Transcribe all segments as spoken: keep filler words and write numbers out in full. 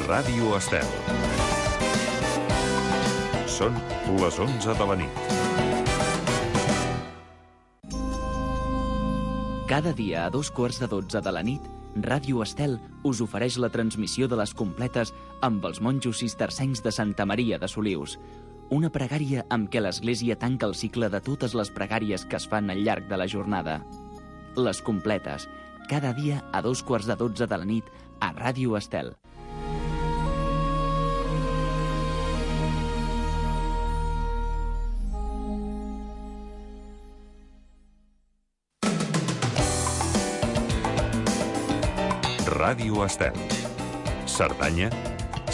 Ràdio Estel. Són les onze de la nit. Cada dia a dos quarts de dotze de la nit, Ràdio Estel us ofereix la transmissió de les completes amb els monjos cistercencs de Santa Maria de Solius. Una pregària amb què l'Església tanca el cicle de totes les pregàries que es fan al llarg de la jornada. Les completes, cada dia a dos quarts de dotze de la nit a Ràdio Estel. Ràdio Estel. Cerdanya,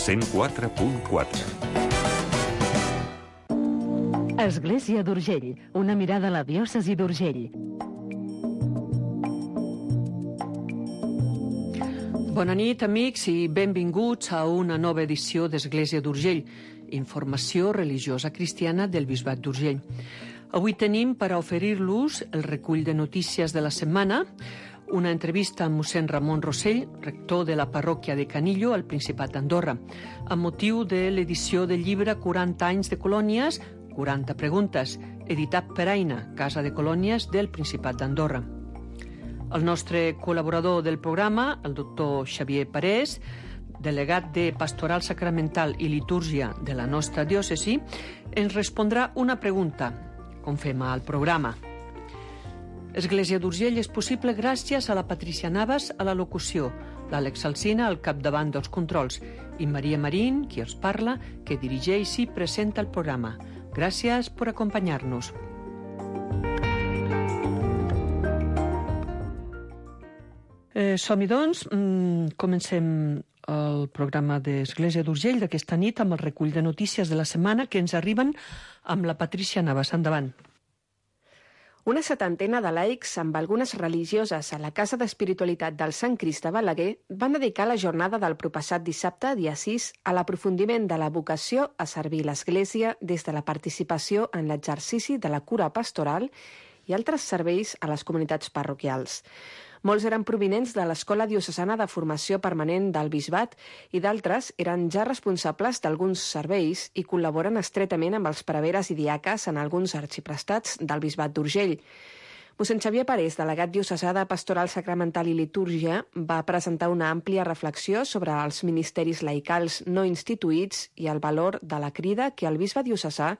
cent quatre punt quatre. Església d'Urgell, una mirada a la diòcesi d'Urgell. Bona nit, amics, i benvinguts a una nova edició d'Església d'Urgell, informació religiosa cristiana del Bisbat d'Urgell. Avui tenim per a oferir-los el recull de notícies de la setmana, una entrevista amb mossèn Ramon Rossell, rector de la parròquia de Canillo, al Principat d'Andorra, amb motiu de l'edició del llibre quaranta anys de colònies, quaranta preguntes, editat per Aina, Casa de Colònies del Principat d'Andorra. El nostre col·laborador del programa, el doctor Xavier Parés, delegat de Pastoral Sacramental i Litúrgia de la nostra diòcesi, ens respondrà una pregunta, com fem al programa. Església d'Urgell és possible gràcies a la Patricia Navas a la locució, l'Àlex Alsina al capdavant dels controls i Maria Marín, qui els parla, que dirigeix i presenta el programa. Gràcies per acompanyar-nos. Eh, som-hi, doncs. Mm, comencem el programa d'Església d'Urgell d'aquesta nit amb el recull de notícies de la setmana que ens arriben amb la Patricia Navas. Endavant. Una setantena de laics amb algunes religioses a la Casa d'Espiritualitat del Sant Crist de Balaguer van dedicar la jornada del proppassat dissabte, dia sis, a l'aprofundiment de la vocació a servir l'Església des de la participació en l'exercici de la cura pastoral i altres serveis a les comunitats parroquials. Molts eren provinents de l'Escola Diocesana de Formació Permanent del Bisbat i d'altres eren ja responsables d'alguns serveis i col·laboren estretament amb els preveres i diaques en alguns arxiprestats del Bisbat d'Urgell. Mossèn Xavier Parés, delegat diocesà de Pastoral Sacramental i Litúrgia, va presentar una àmplia reflexió sobre els ministeris laicals no instituïts i el valor de la crida que el bisbe diocesà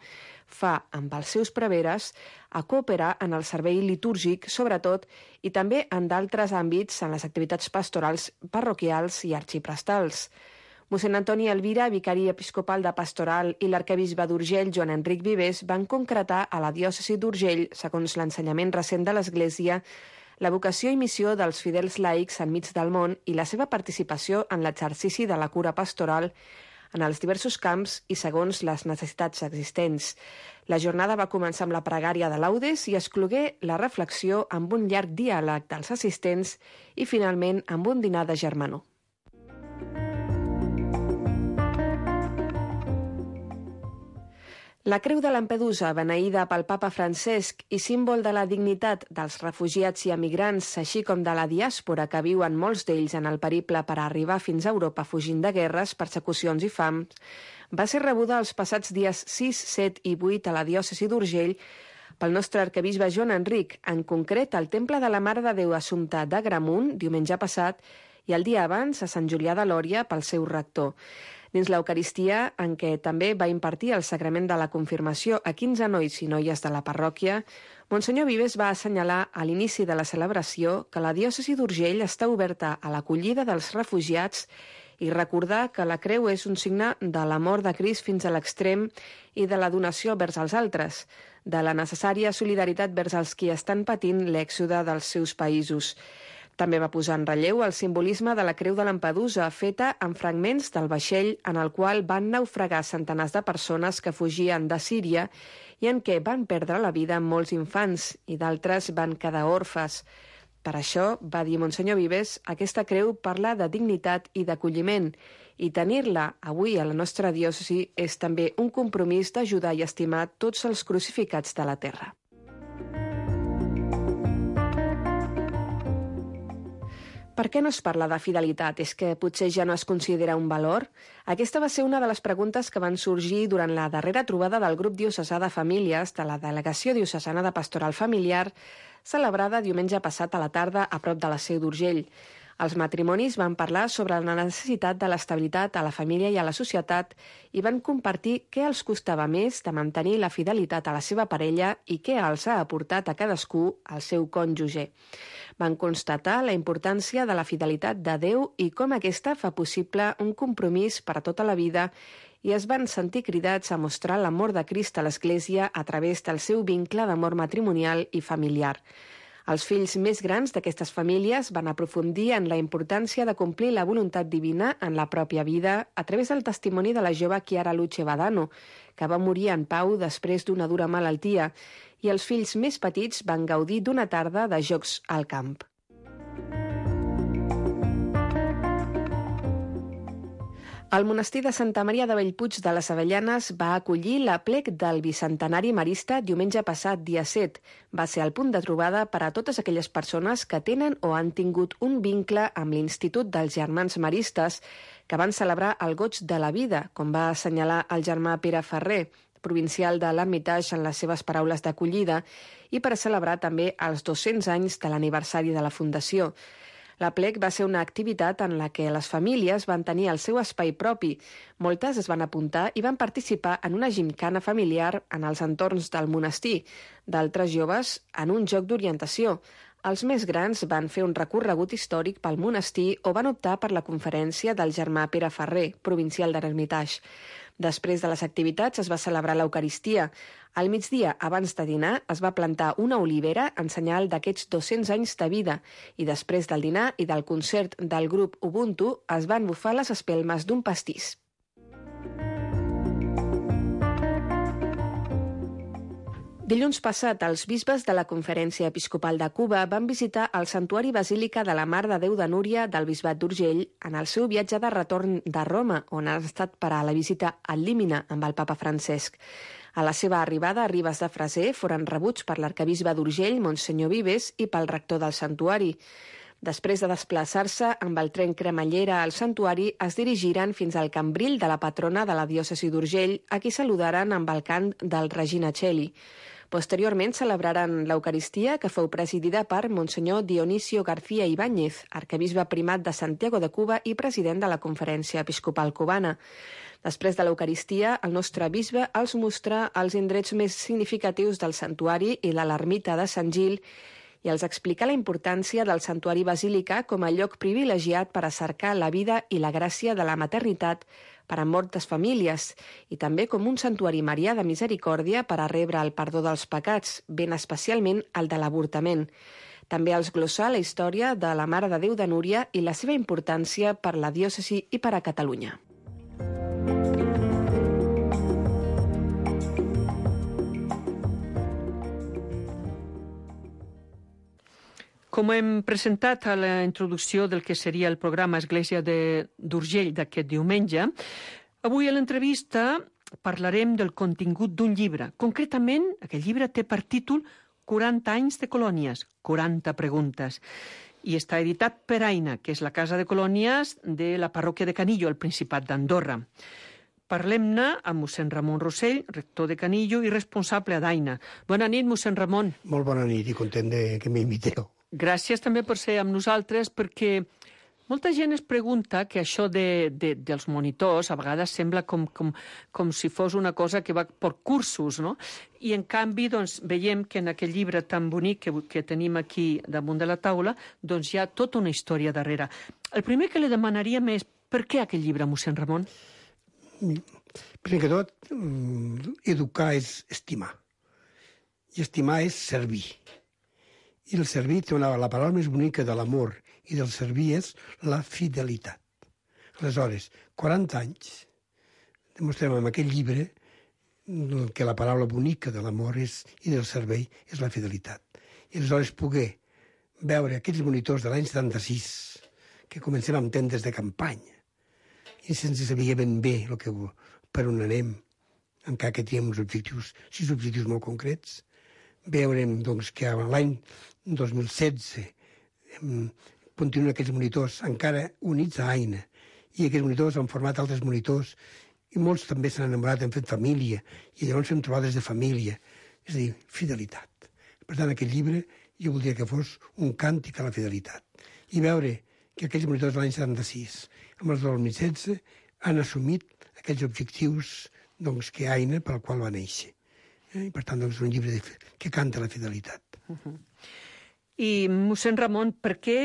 fa amb els seus preveres a cooperar en el servei litúrgic, sobretot, i també en d'altres àmbits en les activitats pastorals parroquials i arxiprestals. Mossèn Antoni Elvira, vicari episcopal de Pastoral, i l'arquebisbe d'Urgell, Joan Enric Vives, van concretar a la diòcesi d'Urgell, segons l'ensenyament recent de l'Església, la vocació i missió dels fidels laics enmig del món i la seva participació en l'exercici de la cura pastoral en els diversos camps i segons les necessitats existents. La jornada va començar amb la pregària de laudes i exclogué la reflexió amb un llarg diàleg dels assistents i, finalment, amb un dinar de germanor. La Creu de Lampedusa, beneïda pel papa Francesc i símbol de la dignitat dels refugiats i emigrants, així com de la diàspora que viuen molts d'ells en el periple per a arribar fins a Europa fugint de guerres, persecucions i fams, va ser rebuda els passats dies sis, set i vuit a la diòcesi d'Urgell pel nostre arquebisbe Joan Enric, en concret al Temple de la Mare de Déu Assumpta d'Agramunt, diumenge passat, i el dia abans a Sant Julià de Lòria pel seu rector. Dins l'Eucaristia, en què també va impartir el sacrament de la confirmació a quinze nois i noies de la parròquia, Monsenyor Vives va assenyalar a l'inici de la celebració que la diòcesi d'Urgell està oberta a l'acollida dels refugiats i recordar que la creu és un signe de l'amor de Crist fins a l'extrem i de la donació vers els altres, de la necessària solidaritat vers els qui estan patint l'èxode dels seus països. També va posar en relleu el simbolisme de la Creu de Lampedusa, feta amb fragments del vaixell en el qual van naufragar centenars de persones que fugien de Síria i en què van perdre la vida molts infants i d'altres van quedar orfes. Per això, va dir Monsenyor Vives, aquesta creu parla de dignitat i d'acolliment i tenir-la avui a la nostra diòcesi és també un compromís d'ajudar i estimar tots els crucificats de la terra. Per què no es parla de fidelitat? És que potser ja no es considera un valor? Aquesta va ser una de les preguntes que van sorgir durant la darrera trobada del grup diocesà de famílies de la Delegació Diocesana de Pastoral Familiar, celebrada diumenge passat a la tarda a prop de la Seu d'Urgell. Els matrimonis van parlar sobre la necessitat de l'estabilitat a la família i a la societat i van compartir què els costava més de mantenir la fidelitat a la seva parella i què els ha aportat a cadascú al seu cònjuge. Van constatar la importància de la fidelitat de Déu i com aquesta fa possible un compromís per a tota la vida i es van sentir cridats a mostrar l'amor de Crist a l'Església a través del seu vincle d'amor matrimonial i familiar. Els fills més grans d'aquestes famílies van aprofundir en la importància de complir la voluntat divina en la pròpia vida a través del testimoni de la jove Chiara Luce Badano, que va morir en pau després d'una dura malaltia, i els fills més petits van gaudir d'una tarda de jocs al camp. El monestir de Santa Maria de Bellpuig de les Avellanes va acollir l'aplec del bicentenari marista diumenge passat, dia set. Va ser el punt de trobada per a totes aquelles persones que tenen o han tingut un vincle amb l'Institut dels Germans Maristes, que van celebrar el goig de la vida, com va assenyalar el germà Pere Ferrer, provincial de l'Hermitage en les seves paraules d'acollida, i per a celebrar també els dos-cents anys de l'aniversari de la Fundació. L'aplec va ser una activitat en la que les famílies van tenir el seu espai propi. Moltes es van apuntar i van participar en una gimcana familiar en els entorns del monestir, d'altres joves en un joc d'orientació. Els més grans van fer un recorregut històric pel monestir o van optar per la conferència del germà Pere Ferrer, provincial de l'Hermitage. Després de les activitats es va celebrar l'Eucaristia. Al migdia, abans de dinar, es va plantar una olivera en senyal d'aquests dos-cents anys de vida i després del dinar i del concert del grup Ubuntu es van bufar les espelmes d'un pastís. Dilluns passat, els bisbes de la Conferència Episcopal de Cuba van visitar el Santuari Basílica de la Mare de Déu de Núria del Bisbat d'Urgell en el seu viatge de retorn de Roma, on han estat per a la visita al Límina amb el papa Francesc. A la seva arribada a Ribes de Freser foren rebuts per l'arcabisbe d'Urgell, Monsenyor Vives, i pel rector del santuari. Després de desplaçar-se amb el tren cremallera al santuari, es dirigiren fins al cambril de la patrona de la diòcesi d'Urgell, a qui saludaren amb el cant del Regina Coeli. Posteriorment celebraren l'Eucaristia, que fou presidida per Monsenyor Dionisio García Ibáñez, arquebisbe primat de Santiago de Cuba i president de la Conferència Episcopal Cubana. Després de l'Eucaristia, el nostre bisbe els mostra els indrets més significatius del santuari i de l'ermita de Sant Gil i els explica la importància del santuari basílica com a lloc privilegiat per a cercar la vida i la gràcia de la maternitat per a moltes famílies i també com un santuari marià de misericòrdia per a rebre el perdó dels pecats, ben especialment el de l'avortament. També els glossà la història de la Mare de Déu de Núria i la seva importància per la diòcesi i per a Catalunya. Com hem presentat a la introducció del que seria el programa Església d'Urgell d'aquest diumenge, avui a l'entrevista parlarem del contingut d'un llibre. Concretament, aquest llibre té per títol quaranta anys de colònies, quaranta preguntes, i està editat per Aina, que és la casa de colònies de la parròquia de Canillo, al Principat d'Andorra. Parlem-ne amb mossèn Ramon Rossell, rector de Canillo i responsable d'Aina. Bona nit, mossèn Ramon. Molt bona nit i content de que m'inviteu. Gràcies també per ser amb nosaltres, perquè molta gent es pregunta que això de, de, dels monitors a vegades sembla com, com, com si fos una cosa que va per cursos, no? I en canvi doncs, veiem que en aquell llibre tan bonic que, que tenim aquí damunt de la taula doncs hi ha tota una història darrere. El primer que li demanaríem és per què aquell llibre, mossèn Ramon? Primer que tot, educar és estimar. I estimar és servir. I el servir té una, la paraula més bonica de l'amor i del servir és la fidelitat. Aleshores, quaranta anys, demostrem amb aquest llibre que la paraula bonica de l'amor és, i del servei és la fidelitat. I aleshores poder veure aquells monitors de l'any setanta-sis que comencem amb tendes de campanya i sense saber ben bé el que, per on anem, encara que teníem uns objectius, sis objectius molt concrets, veurem doncs, que l'any dos mil setze continuen aquells monitors encara units a Aina, i aquests monitors han format altres monitors, i molts també s'han enamorat, han fet família, i llavors fem trobades de família. És a dir, fidelitat. Per tant, aquest llibre jo voldria que fos un càntic a la fidelitat. I veure que aquells monitors de l'any setanta-sis, amb els del dos mil setze, han assumit aquells objectius doncs, que Aina, pel qual va néixer. Eh? I per tant, doncs, és un llibre de, que canta la fidelitat. Uh-huh. I, mossèn Ramon, per què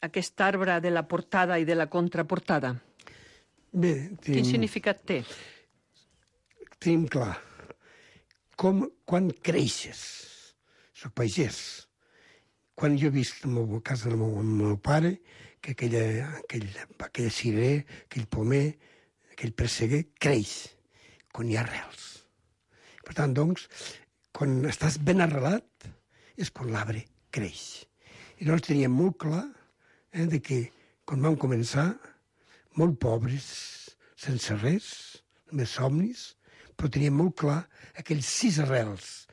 aquest arbre de la portada i de la contraportada? Bé, tenim, quin significat té? Tenim clar. Com, quan creixes, soc pagès, quan jo he vist a la casa del meu, del meu pare que aquella, aquell, aquella cirer, aquell pomer, aquell presseguer, creix, quan hi ha arrels. Per tant, doncs, quan estàs ben arrelat, és quan l'arbre creix. I llavors teníem molt clar eh, de que, quan vam començar, molt pobres, sense res, només somnis, però teníem molt clar aquells sis arrels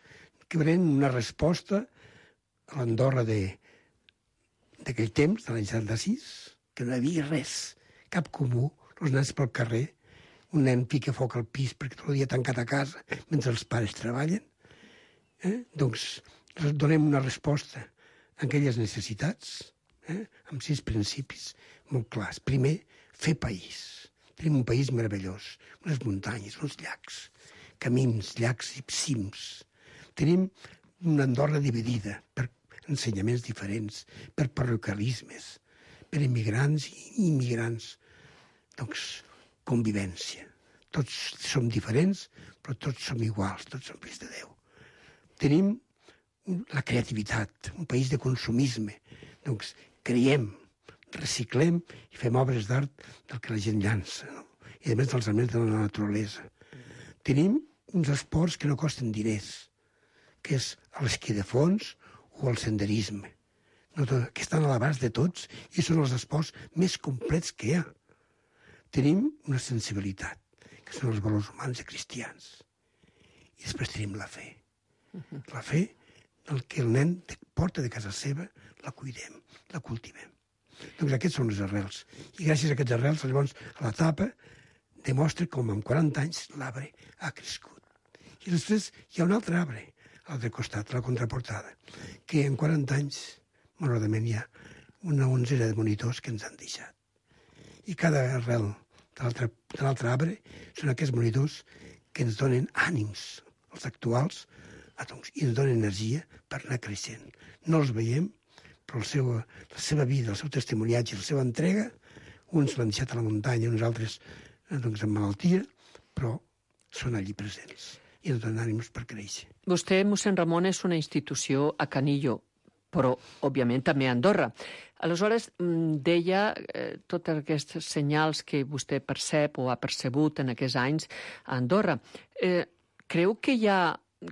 que eren una resposta a l'Andorra d'aquell temps, de l'any setanta-sis, que no hi havia res, cap comú, els nens pel carrer, un nen pica foc al pis perquè tot el dia tancat a casa mentre els pares treballen. Eh? Doncs donem una resposta a aquelles necessitats, eh? amb sis principis molt clars. Primer, fer país. Tenim un país meravellós, unes muntanyes, uns llacs, camins, llacs i cims. Tenim una Andorra dividida per ensenyaments diferents, per paroquialismes, per immigrants i immigrants. Doncs convivència. Tots som diferents, però tots som iguals, tots som fills de Déu. Tenim la creativitat, un país de consumisme. Doncs creiem, reciclem i fem obres d'art del que la gent llança, no? I a més dels elements de la naturalesa. Tenim uns esports que no costen diners, que és l'esquí de fons o el senderisme, no, que estan a l'abast de tots i són els esports més complets que hi ha. Tenim una sensibilitat, que són els valors humans i cristians. I després tenim la fe. La fe del que el nen porta de casa seva, la cuidem, la cultivem. Doncs aquests són les arrels. I gràcies a aquests arrels, llavors, a la tapa, demostra com en quaranta anys l'arbre ha crescut. I després hi ha un altre arbre, a l'altre costat, a la contraportada, que en quaranta anys, malauradament, hi ha una onzena de monitors que ens han deixat. I cada arrel de l'altre arbre són aquests monitors que ens donen ànims, els actuals, i ens donen energia per anar creixent. No els veiem, però el seu, la seva vida, el seu testimoniatge, la seva entrega, uns l'han deixat a la muntanya, uns altres doncs, amb malaltia, però són allí presents i ens donen ànims per créixer. Vostè, mossèn Ramon, és una institució a Canillo, però, òbviament, també a Andorra. Aleshores, deia eh, tots aquests senyals que vostè percep o ha percebut en aquests anys a Andorra. Eh, creu que hi ha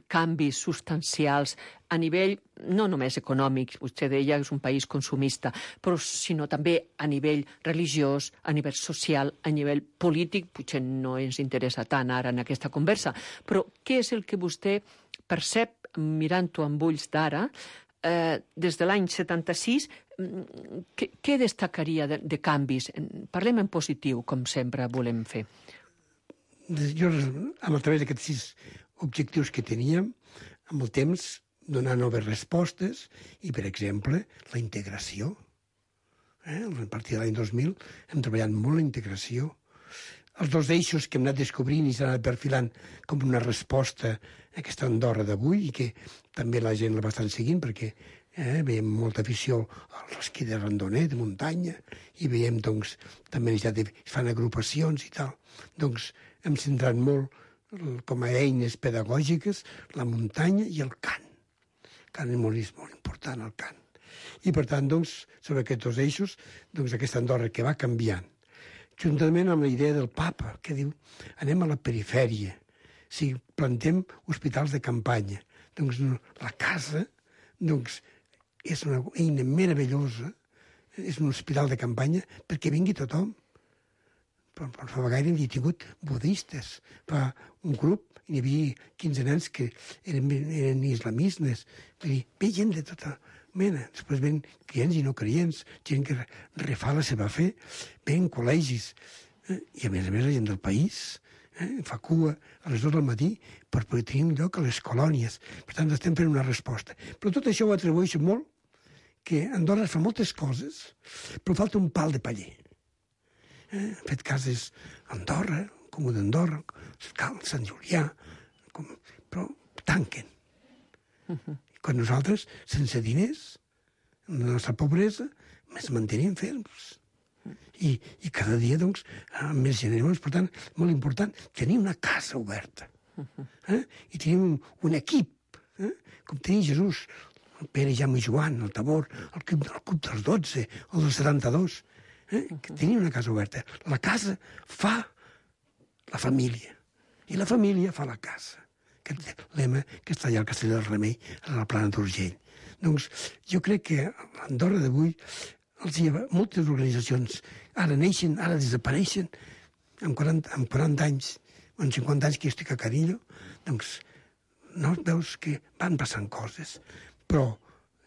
canvis substancials a nivell, no només econòmic, vostè deia que és un país consumista, però sinó també a nivell religiós, a nivell social, a nivell polític, potser no ens interessa tant ara en aquesta conversa, però què és el que vostè percep, mirant-ho amb ulls d'ara, eh, des de l'any setanta-sis, què, què destacaria de, de canvis? Parlem en positiu, com sempre volem fer. Jo, a través d'aquests sis objectius que teníem, amb el temps, donar noves respostes i, per exemple, la integració. Eh? A partir de l'any dos mil hem treballat molt la integració. Els dos eixos que hem anat descobrint i s'han anat perfilant com una resposta a aquesta Andorra d'avui i que també la gent la va estar seguint perquè eh, veiem molta afició a l'esquí de randoner, de muntanya, i veiem, doncs, també ja de, fan agrupacions i tal. Doncs hem centrat molt com a eines pedagògiques, la muntanya i el cant. El cant és molt, molt important, el cant. I, per tant, doncs, sobre aquests dos eixos, doncs, aquesta Andorra que va canviant, juntament amb la idea del papa, que diu, anem a la perifèria, o sigui, plantem hospitals de campanya. Doncs la casa, doncs, és una eina meravellosa, és un hospital de campanya perquè vingui tothom. Però fa gaire hi havia tingut budistes. Fa un grup, hi havia quinze nens que eren, eren islamistes. Vull dir, ve gent de tota Mena, després ven clients i no clients, gent que refà la seva fe, ven col·legis, eh? I a més a més la gent del país eh? fa cua a les dues del matí per poder tenir un lloc a les colònies. Per tant, estem fent una resposta. Però tot això ho atribueixo molt que Andorra fa moltes coses, però falta un pal de paller. Eh? Han fet cases a Andorra, Comú d'Andorra, Sant Julià, com... però tanquen. Uh-huh. Quan nosaltres, sense diners, la nostra pobresa, ens mantenim ferms. I, i cada dia, doncs, amb més generacions. Per tant, molt important, tenir una casa oberta. Eh? I tenim un, un equip, eh? Com tenia Jesús, el Pere, Jaume i Joan, el Tabor, el club, el club dels dotze, el dels setanta-dos. Eh? Que tenia una casa oberta. La casa fa la família. I la família fa la casa. Aquest lema que està allà al Castell del Remei, a la Plana d'Urgell. Doncs jo crec que a Andorra d'avui els hi ha moltes organitzacions, ara neixen, ara desapareixen, amb quaranta, amb quaranta anys, o amb cinquanta anys que jo estic a Carillo, doncs no veus que van passant coses, però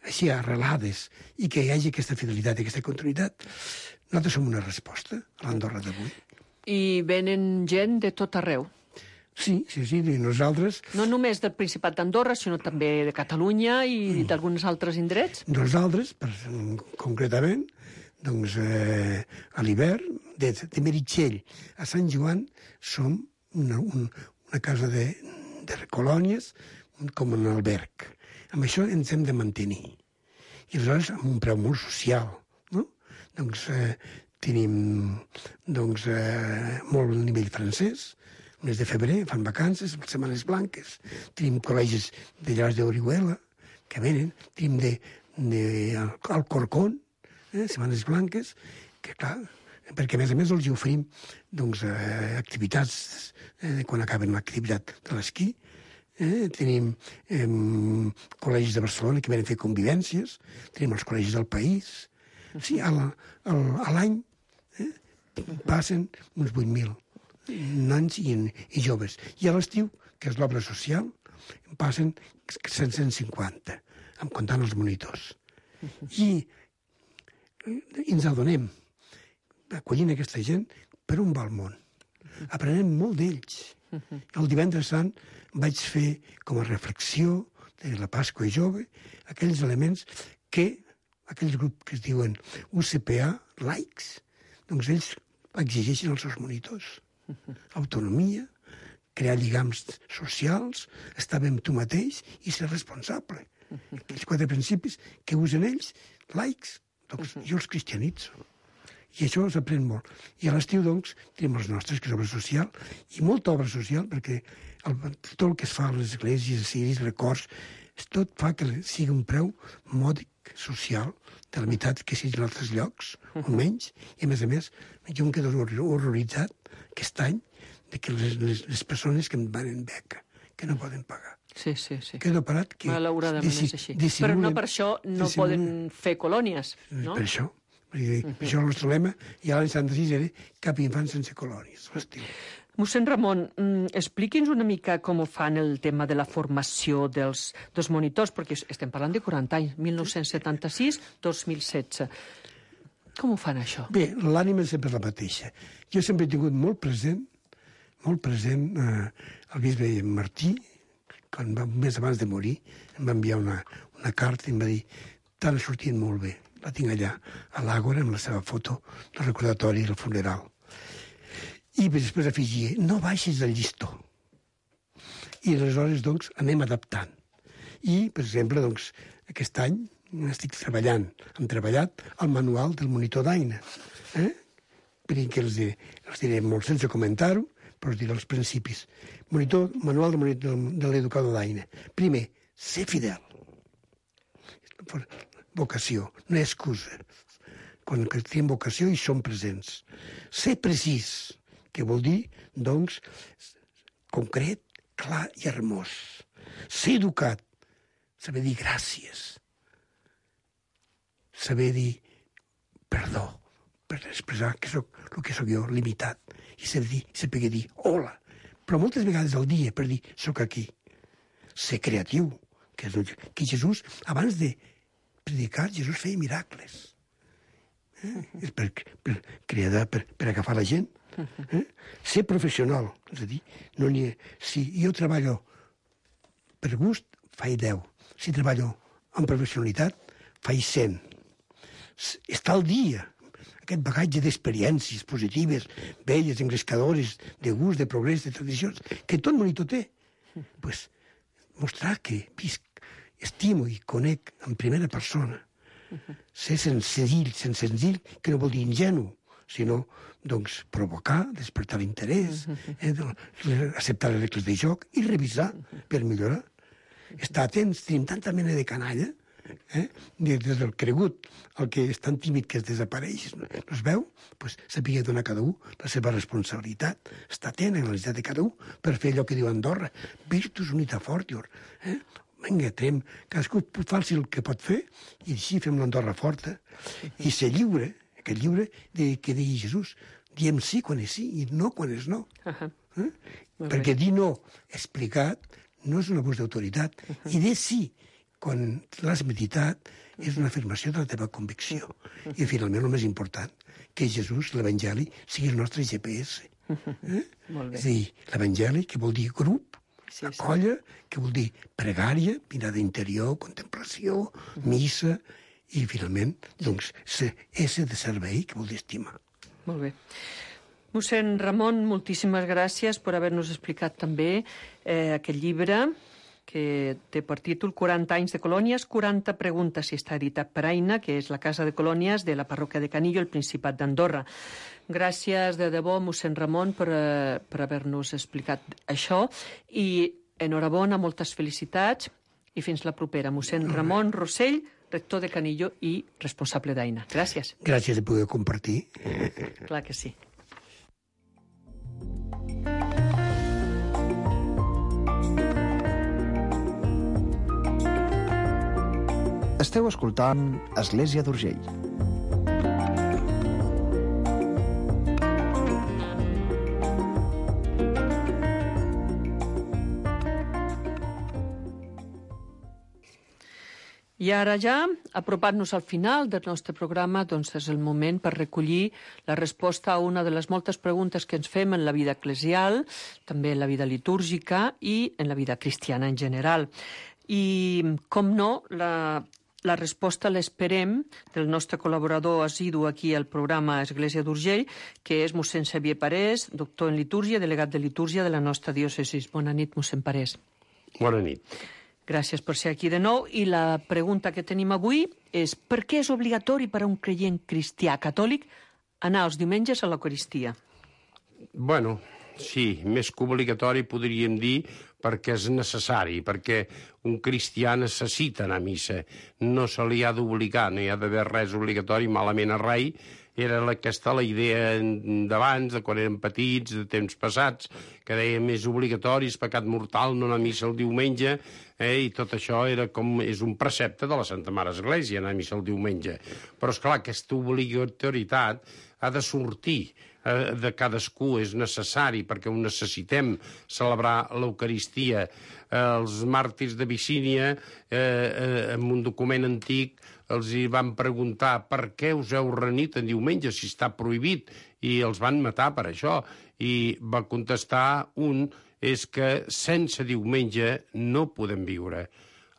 així arrelades, i que hi hagi aquesta fidelitat i aquesta continuïtat, nosaltres som una resposta a l'Andorra d'avui. I venen gent de tot arreu. Sí, sí, sí, i nosaltres... No només del Principat d'Andorra, sinó també de Catalunya i mm. d'alguns altres indrets? Nosaltres, per, concretament, doncs, eh, a l'hivern, de, de Meritxell a Sant Joan, som una, un, una casa de, de colònies com un alberg. Amb això ens hem de mantenir. I aleshores amb un preu molt social, no? Doncs eh, tenim doncs, eh, molt nivell francès, mes de febrer, fan vacances, setmanes blanques, tenim col·legis de llars d'Orihuela, que venen, tenim de, de Alcorcón, eh, setmanes blanques, que clar, perquè a més a més els oferim doncs, eh, activitats eh, quan acaben l'activitat de l'esquí, eh, tenim eh, col·legis de Barcelona que venen a fer convivències, tenim els col·legis del país, sí, a l'any eh, passen uns vuit mil nans i, i joves. I a l'estiu, que és l'obra social, en passen set cents cinquanta, en comptant els monitors. I, i ens adonem, acollint aquesta gent, per on va el món. Aprenem molt d'ells. El divendres sant vaig fer com a reflexió de la Pasqua jove aquells elements que, aquells grups que es diuen U C P A, laics, doncs ells exigeixen als seus monitors. Autonomia, crear lligams socials, estar bé amb tu mateix i ser responsable. Aquells quatre principis que usen ells, laics, doncs jo els cristianitzo. I això s'aprèn molt. I a l'estiu, doncs, tenim els nostres, que és obra social, i molta obra social, perquè el, tot el que es fa a les esglésies, ciris, records, tot fa que sigui un preu mòdic social, de la meitat que sigui en altres llocs, o menys, i a més a més, jo em quedo horroritzat aquest any de que les, les, les persones que em van en beca, que no poden pagar. Sí, sí, sí. Quedo parat que... Malauradament és així. Però no per això no poden fer colònies, no? Per això. Per això el nostre lema, i a l'any setanta-sis era cap infant sense colònies, l'estiu. Mossèn Ramon, expliqui'ns una mica com fan el tema de la formació dels, dels monitors, perquè estem parlant de quaranta anys, mil nou-cents setanta-sis a dos mil setze. Com ho fan, això? Bé, l'ànima és sempre la mateixa. Jo sempre he tingut molt present, molt present eh, el bisbe Martí, quan va, un mes abans de morir, em va enviar una, una carta i em va dir t'han sortit molt bé, la tinc allà, a l'Àgora, amb la seva foto, el recordatori del funeral. I després afegia, no baixis del llistó. I aleshores, doncs, anem adaptant. I, per exemple, doncs, aquest any estic treballant, hem treballat el manual del monitor d'Aina. Eh? Perquè els, diré, els diré molt sense comentar-ho, però us diré els principis. Monitor, manual del monitor, de l'educador d'Aina. Primer, ser fidel. Vocació, no hi ha excusa. Quan tenim vocació hi som presents. Ser precís, que vol dir, doncs, concret, clar i hermós. Ser educat, saber dir gràcies, saber dir perdó, per expressar que soc el que sóc jo, limitat, i saber dir, saber dir hola, però moltes vegades al dia per dir soc aquí. Ser creatiu, que, és, que Jesús, abans de predicar, Jesús feia miracles. Eh? És per, per, creada per, per agafar la gent. Eh? Ser professional, és a dir, no n'hi ha... si jo treballo per gust, faig deu. Si treballo amb professionalitat, faig cent. Està al dia, aquest bagatge d'experiències positives, belles, engrescadores, de gust, de progrés, de tradicions, que tot monitor té. Pues, mostrar que visc, estimo i conec en primera persona. Ser senzill, sense senzill, que no vol dir ingenu, sinó doncs, provocar, despertar l'interès, eh, acceptar les regles de joc i revisar per millorar. Estar atents, tenim tanta mena de canalla, eh? des del cregut al que és tan tímid que es desapareix, no es veu, pues, saber donar a cada un la seva responsabilitat, estar atent a la necessitat de cada un per fer allò que diu Andorra, virtus unita fortior. Eh? Vinga, trem, cadascú faci el que pot fer i així fem l'Andorra forta. I ser lliure, aquest lliure de, que digui Jesús, diem sí quan és sí i no quan és no. Uh -huh. eh? Perquè dir no explicat no és un abús d'autoritat. Uh -huh. I dir sí quan l'has meditat és una afirmació de la teva convicció. Uh -huh. I finalment el més important, que Jesús, l'Evangeli, sigui el nostre G P S. Eh? Molt bé. És a dir, l'Evangeli, que vol dir grup, sí, sí. Colla, que vol dir pregària, mirada interior, contemplació, missa, i finalment, doncs, esse de servei, que vol dir estimar. Molt bé. Mossèn Ramon, moltíssimes gràcies per haver-nos explicat també eh, aquest llibre que té per títol quaranta anys de colònies, quaranta preguntes, i està editat per Aina, que és la Casa de Colònies de la parròquia de Canillo, el Principat d'Andorra. Gràcies de debò, mossèn Ramon, per, uh, per haver-nos explicat això, i enhorabona, moltes felicitats, i fins la propera. Mossèn Ramon Rossell, rector de Canillo i responsable d'Aina. Gràcies. Gràcies de poder compartir. Clar que sí. Esteu escoltant Església d'Urgell. I ara ja, apropant-nos al final del nostre programa, doncs és el moment per recollir la resposta a una de les moltes preguntes que ens fem en la vida eclesial, també en la vida litúrgica i en la vida cristiana en general. I, com no, la, la resposta l'esperem del nostre col·laborador assidu aquí al programa Església d'Urgell, que és mossèn Xavier Parés, doctor en litúrgia, delegat de litúrgia de la nostra diòcesi. Bona nit, mossèn Parés. Bona nit. Gràcies per ser aquí de nou. I la pregunta que tenim avui és per què és obligatori per a un creient cristià catòlic anar els diumenges a l'Eucaristia? Bueno, sí, més que obligatori podríem dir perquè és necessari, perquè un cristià necessita anar a missa. No se li ha d'obligar, no hi ha d'haver res obligatori, malament a rai. Era aquesta la idea d'abans, de quan érem petits, de temps passats, que dèiem és obligatori, és pecat mortal no anar a missa el diumenge, eh? I tot això era com, és un precepte de la Santa Mare Església, anar a missa el diumenge. Però, esclar, aquesta obligatorietat ha de sortir eh, de cadascú, és necessari, perquè ho necessitem celebrar l'Eucaristia. Eh, els màrtirs de Vicínia, eh, eh, en un document antic, els hi van preguntar per què us heu reunit en diumenge si està prohibit, i els van matar per això. I va contestar un, és que sense diumenge no podem viure.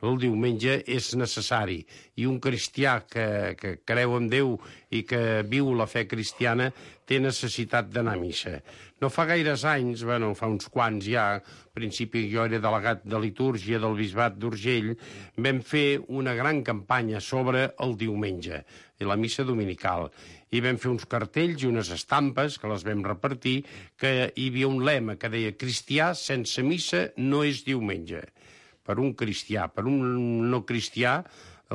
El diumenge és necessari, i un cristià que, que creu en Déu i que viu la fe cristiana té necessitat d'anar a missa. No fa gaires anys, bueno, fa uns quants ja, al principi jo era delegat de litúrgia del Bisbat d'Urgell, vam fer una gran campanya sobre el diumenge i la missa dominical. I vam fer uns cartells i unes estampes que les vam repartir, que hi havia un lema que deia cristià sense missa no és diumenge. Per un cristià, per un no cristià,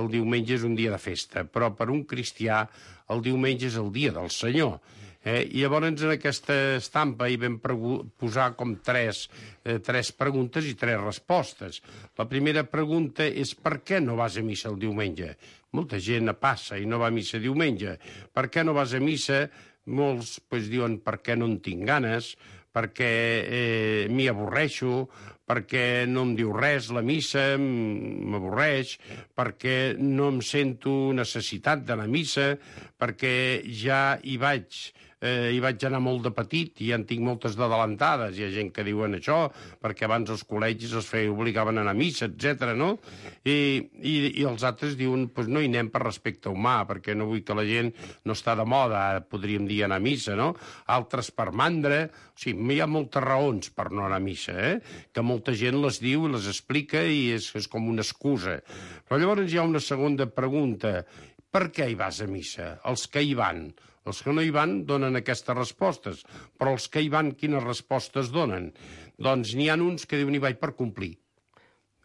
el diumenge és un dia de festa, però per un cristià el diumenge és el dia del Senyor. Eh? I llavors en aquesta estampa hi vam posar com tres, eh, tres preguntes i tres respostes. La primera pregunta és per què no vas a missa el diumenge? Molta gent passa i no va a missa diumenge. Per què no vas a missa? Molts pues, diuen per què no en tinc ganes, perquè eh, m'hi avorreixo, perquè no em diu res la missa, m'avorreix, perquè no em sento necessitat d'anar a missa, perquè ja hi vaig... Eh, hi vaig anar molt de petit i ja en tinc moltes d'adelantades. Hi ha gent que diuen això, perquè abans els col·legis els feien, obligaven a anar a missa, etcètera, no? I, i, i els altres diuen, pues no hi anem per respecte humà, perquè no vull que la gent no està de moda, podríem dir, anar a missa, no? Altres per mandra. O sigui, hi ha moltes raons per no anar a missa, eh? Que molta gent les diu i les explica i és, és com una excusa. Però llavors hi ha una segona pregunta. Per què hi vas a missa? Els que hi van. Els que no hi van donen aquestes respostes, però els que hi van quines respostes donen? Doncs n'hi ha uns que diuen hi vaig per complir.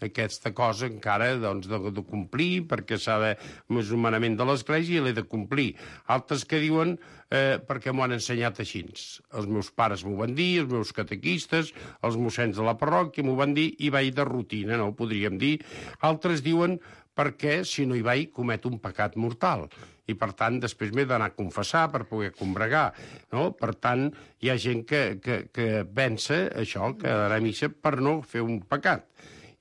Aquesta cosa encara doncs, de, de complir, perquè s'ha de... és un manament de l'Església i l'he de complir. Altres que diuen eh, perquè m'ho han ensenyat així. Els meus pares m'ho van dir, els meus catequistes, els mossens de la parròquia m'ho van dir i vaig de rutina, no ho podríem dir. Altres diuen perquè si no hi vaig cometo un pecat mortal i, per tant, després m'he d'anar a confessar per poder combregar, no? Per tant, hi ha gent que, que, que pensa això, que anar a missa per no fer un pecat.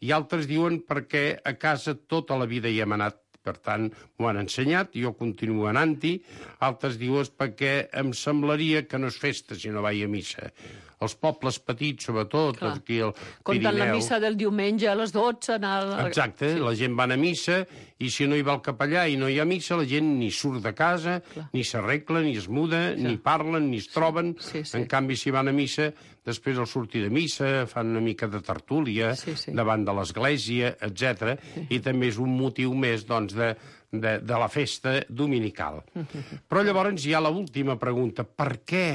I altres diuen perquè a casa tota la vida hi hem anat, per tant, m'ho han ensenyat, jo continuo anant-hi. Altres diuen perquè em semblaria que no és festa si no vaig a missa. Els pobles petits, sobretot, Clar. aquí al Comptant Pirineu... la missa del diumenge a les dotze... Anar... Exacte, sí. La gent va a missa i si no hi va el capellà i no hi ha missa, la gent ni surt de casa, Clar. Ni s'arregla, ni es muda, Clar. Ni parlen, ni es troben. Sí, sí. En canvi, si van a missa, després al sortir de missa fan una mica de tertúlia sí, sí. davant de l'església, etcètera. Sí. I també és un motiu més, doncs, de, de, de la festa dominical. Però llavors hi ha l'última pregunta. Per què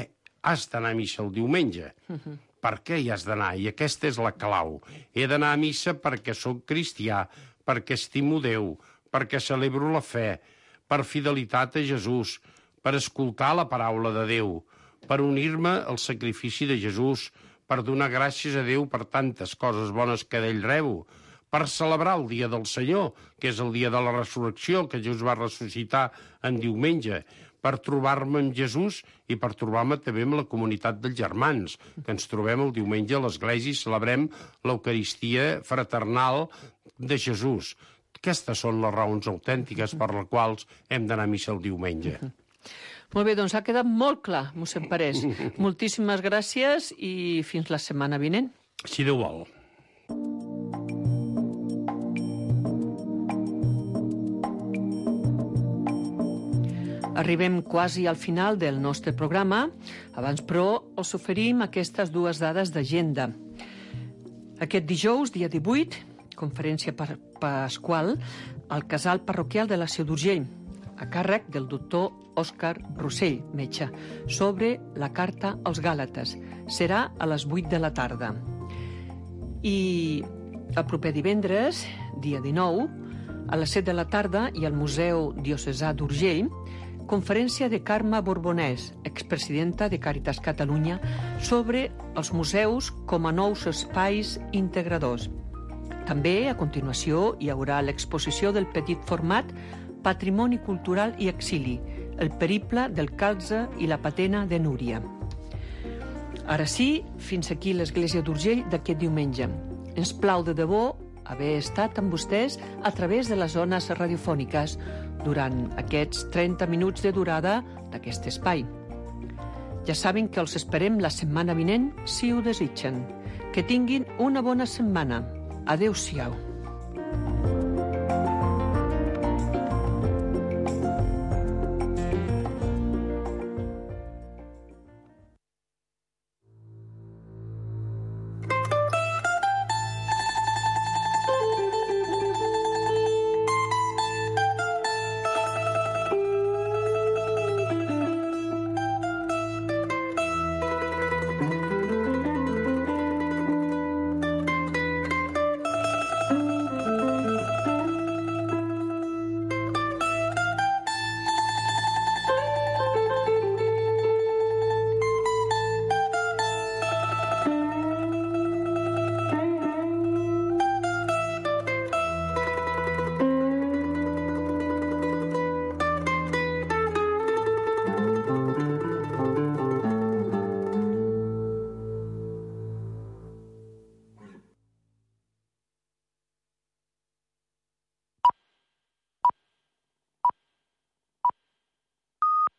has d'anar a missa el diumenge? Uh-huh. Per què hi has d'anar? I aquesta és la clau. He d'anar a missa perquè sóc cristià, perquè estimo Déu, perquè celebro la fe, per fidelitat a Jesús, per escoltar la paraula de Déu, per unir-me al sacrifici de Jesús, per donar gràcies a Déu per tantes coses bones que d'ell rebo, per celebrar el dia del Senyor, que és el dia de la resurrecció, que Jesús va ressuscitar en diumenge, per trobar-me amb Jesús i per trobar-me també amb la comunitat dels germans, que ens trobem el diumenge a l'església i celebrem l'Eucaristia fraternal de Jesús. Aquestes són les raons autèntiques per les quals hem d'anar a missa el diumenge. Molt bé, doncs ha quedat molt clar, mossèn Parés. Moltíssimes gràcies i fins la setmana vinent. Si Déu vol. Arribem quasi al final del nostre programa. Abans, però, us oferim aquestes dues dades d'agenda. Aquest dijous, dia divuit, conferència pasqual al casal parroquial de la Seu d'Urgell, a càrrec del doctor Òscar Rossell, metge, sobre la carta als Gàlates. Serà a les vuit de la tarda. I el proper divendres, dia dinou, a les set de la tarda, i al Museu Diocesà d'Urgell, conferència de Carme Borbonès, expresidenta de Càritas Catalunya, sobre els museus com a nous espais integradors. També, a continuació, hi haurà l'exposició del petit format Patrimoni Cultural i Exili, el periple del calze i la patena de Núria. Ara sí, fins aquí l'Església d'Urgell d'aquest diumenge. Ens plau de debò haver estat amb vostès a través de les zones radiofòniques durant aquests trenta minuts de durada d'aquest espai. Ja saben que els esperem la setmana vinent, si ho desitgen. Que tinguin una bona setmana. Adéu-siau.